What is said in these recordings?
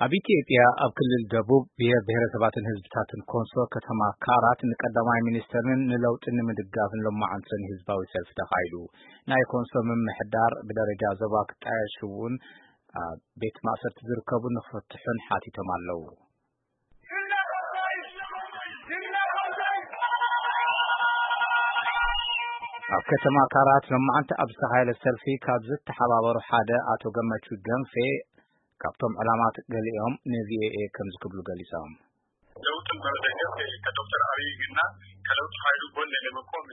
ኣብ ኢትዮጵያ ኣብ ክልል ደቡብ ብሔር ብሔረሰባትን ህዝብታትን ኮንሶ ከተማ ካራት ንቀዳማይ ሚኒስተርን ንለውጢ ንምድጋፍን ሎማዓንቲ ሰኒ ህዝባዊ ሰልፊ ተኻይዱ። ናይ ኮንሶ ምምሕዳር ብደረጃ ዞባ ክጣየሽ እውን ኣብ ቤት ማእሰርቲ ዝርከቡ ንክፍትሑን ሓቲቶም ኣለዉ። ኣብ ከተማ ካራት ሎማዓንቲ ኣብ ዝተኻየደ ሰልፊ ካብ ዝተሓባበሩ ሓደ ኣቶ ገመቹ ደንፌ ካብቶም ዕላማት ገሊኦም ንቪኦኤ ከምዚ ክብሉ ገሊጾም። ለውጥን በመደገፍ ከዶክተር ኣብይ እና ከለውጥ ኃይሉ ጎን ለመቆም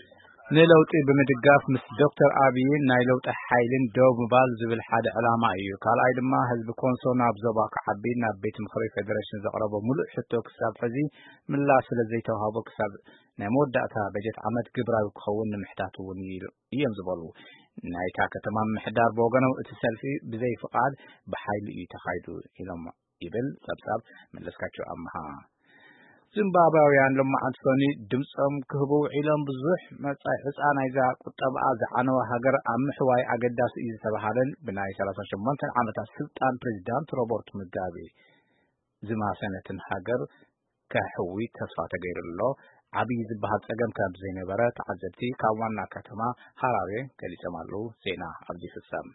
ንለውጢ ብምድጋፍ ምስ ዶክተር ኣብይን ናይ ለውጢ ሓይልን ደው ምባል ዝብል ሓደ ዕላማ እዩ። ካልኣይ ድማ ህዝቢ ኮንሶ ናብ ዞባ ክዓቢ ናብ ቤት ምኽሪ ፌዴሬሽን ዘቕረቦ ሙሉእ ሕቶ ክሳብ ሕዚ ምላሽ ስለ ዘይተዋህቦ ክሳብ ናይ መወዳእታ በጀት ዓመት ግብራዊ ክኸውን ንምሕታት እውን እዩ እዮም ዝበሉ። ናይታ ከተማ ምምሕዳር ብወገኖም እቲ ሰልፊ ብዘይ ፍቓድ ብሓይሊ እዩ ተኻይዱ ኢሎም ይብል ጸብጻብ መለስካቸው ኣምሃ። ዚምባብያውያን ሎማዓንቲ ሰኒ ድምጾም ክህቡ ውዒሎም ብዙሕ መጻኢ ዕጻ ናይዛ ቁጠባኣ ዝዓነወ ሃገር ኣብ ምሕዋይ ኣገዳሲ እዩ ዝተባሃለን ብናይ ሰላሳ ሸሞንተ ዓመታት ስልጣን ፕሬዚዳንት ሮበርት ሙጋቤ ዝማሰነትን ሃገር ከሕዊ ተስፋ ተገይሩ ኣሎ። ዓብዪ ዝበሃል ጸገም ከም ዘይነበረ ተዓዘብቲ ካብ ዋና ከተማ ሃራሬ ገሊጾም ኣለዉ። ዜና ኣብዚ ይፍጸም።